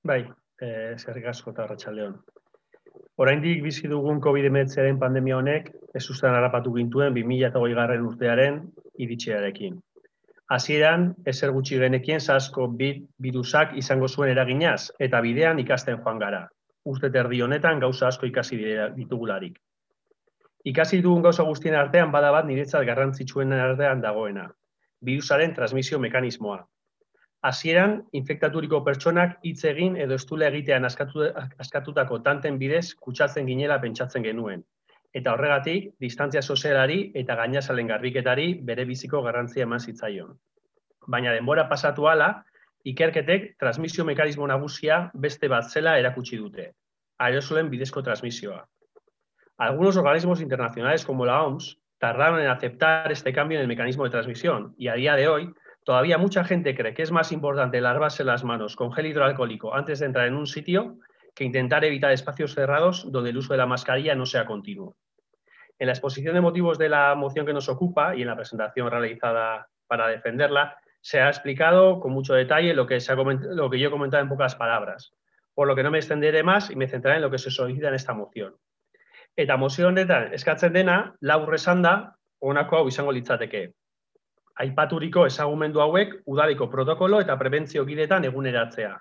Bai, eskerrik asko eta arratsaldeon. Oraindik bizi dugun COVID-19 pandemia honek ezustean harrapatu gintuen 2020 urtearen iritsiarekin. Hasieran, ezer gutxi genekien SARS-CoV-2 birusak izango zuen eraginaz, eta bidean ikasten joan gara. Urte terdi honetan gauza asko ikasi ditugularik. Ikasi dugun gauza guztien artean bada bat niretzat garrantzitsuen artean dagoena. Birusaren transmisio mekanismoa. Hasieran, infektaturiko pertsonak hitz egin edo estula egitean askatutako tanten bidez kutsatzen ginela pentsatzen genuen. Eta horregatik, distantzia sozialari eta gainazalen garbiketari bere biziko garrantzia eman zitzaion. Baina denbora pasatu hala, ikerketek transmisio mekanismo nagusia beste bat zela erakutsi dute. Aerosolen bidezko transmisioa. Algunos organismos internacionales como la OMS tardaron en aceptar este cambio en el mecanismo de transmisión y a día de hoy todavía mucha gente cree que es más importante lavarse las manos con gel hidroalcohólico antes de entrar en un sitio que intentar evitar espacios cerrados donde el uso de la mascarilla no sea continuo. En la exposición de motivos de la moción que nos ocupa y en la presentación realizada para defenderla, se ha explicado con mucho detalle lo que yo he comentado en pocas palabras, por lo que no me extenderé más y me centraré en lo que se solicita en esta moción. Eta mozio honetan eskatzen dena, labur esanda, honako hau izango litzateke. Aipaturiko ezagumendu hauek udaleko protokolo eta prebentzio gidetan eguneratzea.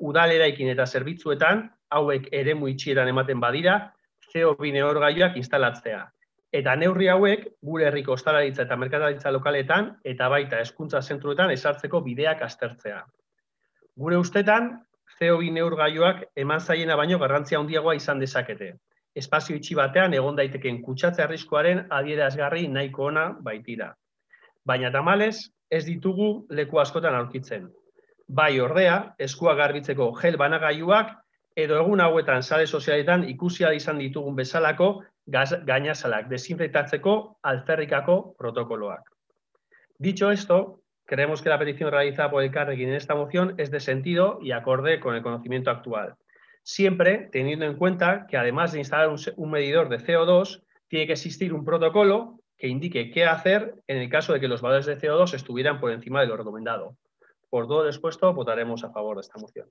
Udal eraikin eta zerbitzuetan hauek eremu itxieran ematen badira, CO2 neurgailuak instalatzea. Eta neurri hauek gure herriko ostalaritza eta merkataritza lokaletan eta baita hezkuntza zentruetan ezartzeko bideak aztertzea. Gure ustetan, CO2 neurgailuak eman zaiena baino garrantzia handiagoa izan dezakete. Espazio itxi batean egon daiteken kutsatze arriskuaren adierazgarri nahiko ona baitira. Baina tamalez, ez ditugu leku askotan aurkitzen. Bai ordea, eskua garbitzeko gel banagailuak edo egun hauetan sare sozialetan ikusia izan ditugun bezalako gainazalak desinfektatzeko alferrikako protokoloak. Dicho esto, creemos que la petición realizada por Elkarrekin en esta moción es de sentido y acorde con el conocimiento actual. Siempre teniendo en cuenta que además de instalar un medidor de CO2, tiene que existir un protocolo que indique qué hacer en el caso de que los valores de CO2 estuvieran por encima de lo recomendado. Por todo lo expuesto, votaremos a favor de esta moción.